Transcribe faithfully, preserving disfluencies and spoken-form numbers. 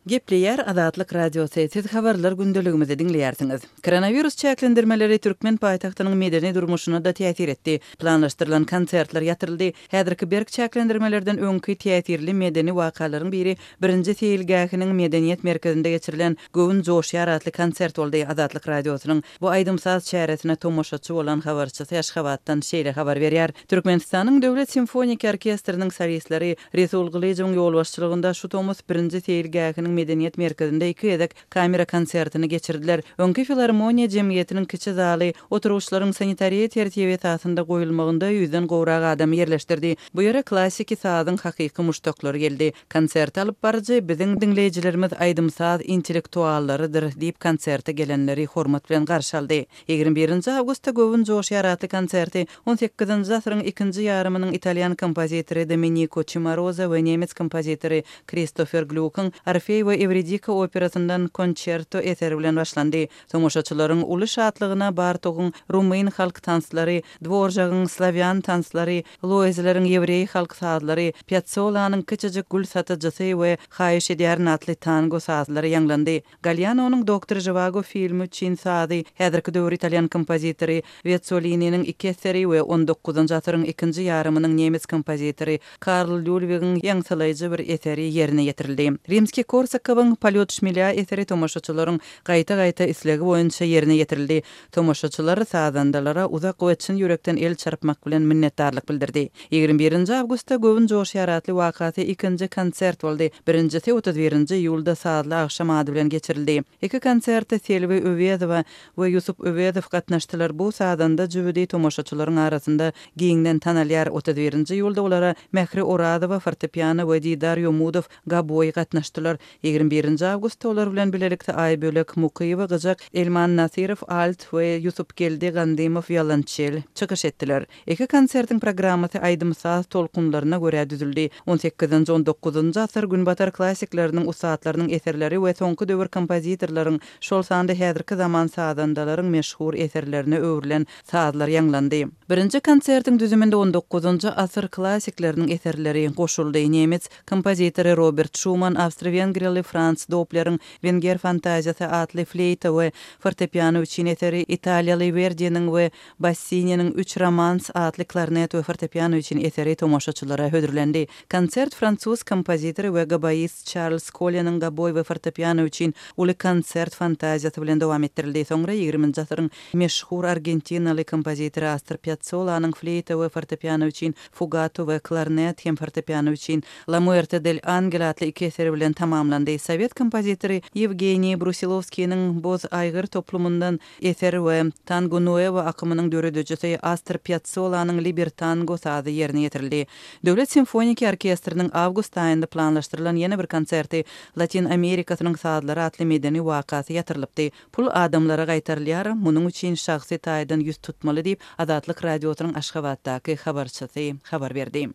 Gepleýär Azatlyk Radiosy, siz habarlar gündeligimizi diňleýärsiňiz. Koronawirus çäklendirmeleri türkmen paýtagtynyň medeni durmuşyna-da täsir etdi. Planlaşdyrylan konsertler ýatyryldy. Häzirki berk çäklendirmelerden öňki täsirli medeni wakalaryň biri birinji seýilgähiniň medeniýet merkezinde geçirilen Göwün joşýar atly konsert boldy. Azatlyk Radiosynyň bu aýdym-saz çäresine tomaşaçy bolan habarçysy Aşgabatdan şeýle habar berýär. Türkmenistanyň Döwlet simfoniki orkestriniň solistleri Resul Gylyjowyň ýolbaşçylygynda şu tomus birinji seýilgähiniň medeniýet merkezinde iki gezek kamera konsertini geçirdiler. Öňki filarmoniýa jemgyýetiniň kiçi zaly oturgyçlaryň sanitariýa tertibi esasynda goýulmagynda ýüzden gowrak adam ýerleşdirdi. Bu ýere klassiki sazyň hakyky muşdaklary geldi. Konsert alyp baryjy biziň diňleýjilerimiz aýdym-saz intellektuallarydyr diýip konserte gelenleri hormat bilen garşy aldy. Ýigrimi birinji awgustda Göwün joşýar atly konserti on sekizinji asyryň ikinji ýarymynyň italýan kompozitory Domenico Cimarosa we nemes kompozitory Kristofer Glýukyň Orfeý we Ewridika operasyndan konçerto eseri bilen başlandy. Tomaşaçylaryň uly şatlygyna Bartogyň rumyn halk tanslary, Dworjagyň slawýan tanslary, Loizleriň ýewreý halk sazlary, Piazzolanyň kiçijik gül satyjysy we Haýyş edýärin atly tango sazlary ýaňlandy. Gallianonyň Doktor Žiwago filmi üçin sazy, häzirki döwür italýan kompozitory Wetsolininiň iki eseri we on dokuzynjy asyryň ikinji ýarymynyň nemes kompozitory Karl Lýulwigiň ýaňsylaýjy bir eseri ýerine ýetirildi. Rimskiý-Korsakowyň Polýot şmelýa eseri tomaşaçylaryň gaýta-gaýta islegi boýunça ýerine ýetirildi. Tomaşaçylar sazandalara uzak we çyn ýürekden el çarpmak bilen minnetdarlyk bildirdi. Ýigrimi birinji awgustda Göwün joşýar atly wakasy ikinji konsert boldy. Birinjisi otuz birinji iýulda sazly agşam ady bilen geçirildi. Iki konserte Selbi Öwezowa we Ýusup Öwezow gatnaşdylar. Bu sazanda jübüdi tomaşaçylaryň arasynda giňden tanalýar. Otuz birinji iýulda olara Mähri Orazowa fortepiano we Didar Ýomudow gaboý gatnaşdylar. Ýigrimi birinji awgustda olar bilen bilelikde Aýbölek Mukyýewa gyjak, Elman Nasyrow alt we Ýusupgeldi Gandymow wiolonçel çykyş etdiler. Iki konsertiň programmasy aýdym-saz tolkunlaryna görä düzüldi. On sekizinji, on dokuzynjy asyr günbatar klassikleriniň ussatlarynyň eserleri we soňky döwür kompozitorlaryň, şol sanda häzirki zaman sazandalaryň meşhur eserlerine öwrülen sazlar ýaňlandy. Birinji konsertiň düzüminde on dokuzynjy asyr klassikleriniň eserleri goşuldy. Nemes kompozitory Robert Şuman, awstro-wengriýaly Frans Dopleriň Wenger fantaziýasy atly fleýta we fortepiano üçin eseri, italiýaly Werdiniň we Bassininiň Üç romans atly klarnet we fortepiano üçin eseri tomaşaçylara hödürlendi. Konsert fransuz kompozitory we goboist Çarlz Koleniň goboý we fortepiano üçin uly konsert fantaziýasy bilen dowam etdirildi. Soňra ýigriminji asyryň meşhur argentinaly kompozitory Astor Piazzolanyň fleýta we fortepiano üçin fugato we klarnet hem fortepiano üçin La Muerte del Angel atly iki eseri bilen tamamlandy. Sowet kompozitory Ýewgeniý Brusilowskiniň Boz aýgyr toplumyndan eser we Tango Nuevo akymynyň döredijisi Astor Piazzolanyň Libertango sazy ýerine ýetirildi. Döwlet simfoniki orkestriniň awgust aýynda planlaşdyrylan ýene bir konserti Latin Amerikasynyň sazlary atly medeni wakasy ýatyrylypdy. Pul adamlara gaýtarylýar, munuň üçin şahsy taýdan ýüz tutmaly diýip, Azatlyk Radiosynyň Aşgabatdaky habarçysy habar berdi.